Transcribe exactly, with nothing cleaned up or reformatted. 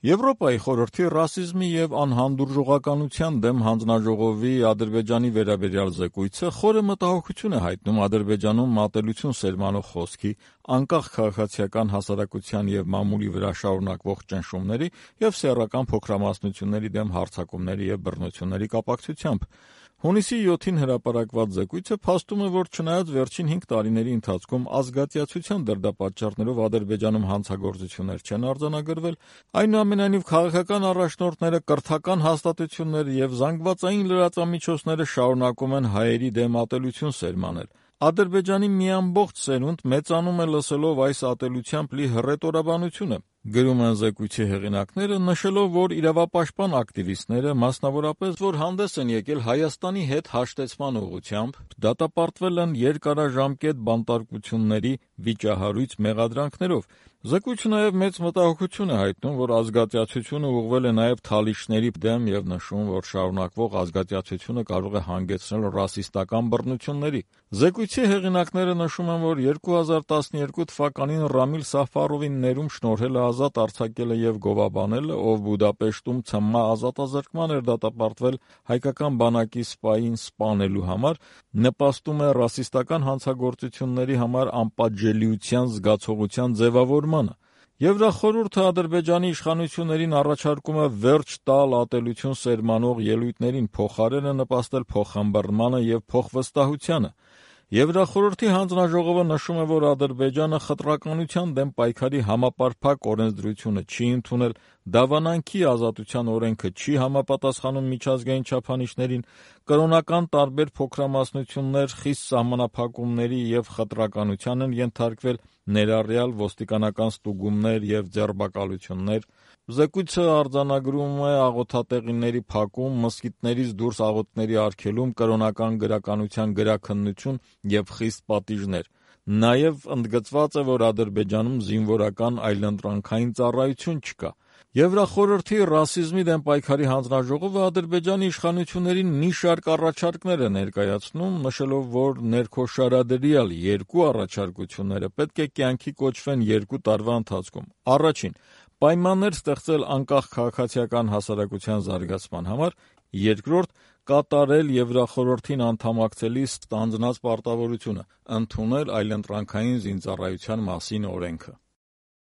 Եվրոպայի խորհրդի ռասիզմի և անհանդուրժողականության դեմ հանձնաժողովի Ադրբեջանի վերաբերյալ զեկույցը խորը մտահոգություն է հայտնում Ադրբեջանում մատելություն սերմանող խոսքի, անկախ քաղաքացիական հասարակության և մամուլի վրա շարունակվող ճնշումների և սեռական փոքրամասնությունների դեմ հարձակումների և բռնությունների կապակցությամբ։ Հունիսի յոթին հրապարակված զեկույցը փաստում է, որ չնայած վերջին հինգ տարիների ընթացքում ազգատյացության դրդապատճառներով Ադրբեջանում հանցագործություններ չեն արձանագրվել, այնուամենայնիվ քաղաքական առաջնորդները, կրթական հաստատությունները և զանգվածային լրատվամիջոցները շարունակում են հայերի դեմ ատելություն սերմանել։ Ադրբեջանի մի ամբողջ սերունդ մեծանում է լսելով այս ատելությամբ լի հռետորաբանությունը, գրում են զեկույցի հեղինակները, նշելով, որ իրավապաշտպան ակտիվիստները, մասնավորապես, որ հանդես են եկել Հայաստանի հետ հաշտեցման ուղղությամբ, դատապարտվել են երկարաժամկետ բանտարկությունների վիճահարույց մեղադրանքներով։ Զեկույցը նաև մեծ մտահոգություն է հայտնում, որ ազգատյացությունը ուղղվել է նաև թալիչների դեմ և նշում, որ շարունակվող ազգատյացությունը կարող է հանգեցնել ռասիստական բռնությունների։ Զեկույցի հեղինակները նշում են, որ երկու հազար տասներկու թվականին Ռամիլ Սաֆարովին ներում շնորհելը ազատ արձակելը և գովաբանելը, ով Բուդապեշտում ցմահ ազատազրկման էր դատապարտվել հայկական բանակի սպային սպանելու համար, նպաստում է ռասիստական հանցագործությունների համար անպատժելիության զգացողության ձևավորմանը։ Եվրախորհուրդը Ադրբեջանի իշխանություններին առաջարկում է վերջ տալ ատելություն սերմանող ելույթներին, փոխարենը նպաստել փոխըմբռնմանը և փոխվստահությանը։ Եվրախորհրդի հանձնաժողովը նշում է, որ Ադրբեջանը խտրականության դեմ պայքարի համապարփակ օրենսդրությունը չի ընդունել, դավանանքի ազատության օրենքը չի համապատասխանում միջազգային չափանիշներին, կրոնական տարբեր փոքրամասնություններ խիստ սահմանափակումների և խտրականության են ենթարկվել, ներառյալ ոստիկանական ստուգումներ և ձերբակալություններ։ Զեկույցը արձանագրում է աղոթատեղիների փակում, մզկիթներից դուրս աղոթքների արգելում, կրոնական գրականության գրաքննություն և խիստ պատիժներ։ Նաև ընդգծված է, որ Ադրբեջանում զինվորական այլընտրանքային ծառայություն չկա։ Եվրախորհրդի ռասիզմի դեմ պայքարի հանձնաժողովը Ադրբեջանի իշխանություններին մի շարք առաջարկներ է ներկայացնում, նշելով, որ ներքոշարադրյալ երկու առաջարկությունները պետք է կյանքի կոչվեն երկու տարվա ընթացքում։ Առաջին՝ պայմաններ ստեղծել անկախ քաղաքացիական հասարակության զարգացման համար, երկրորդ՝ կատարել Եվրախորհրդին անդամակցելիս ստանձնած պարտավորությունը՝ ընդունել այլընտրանքային զինծառայության մասին օրենքը։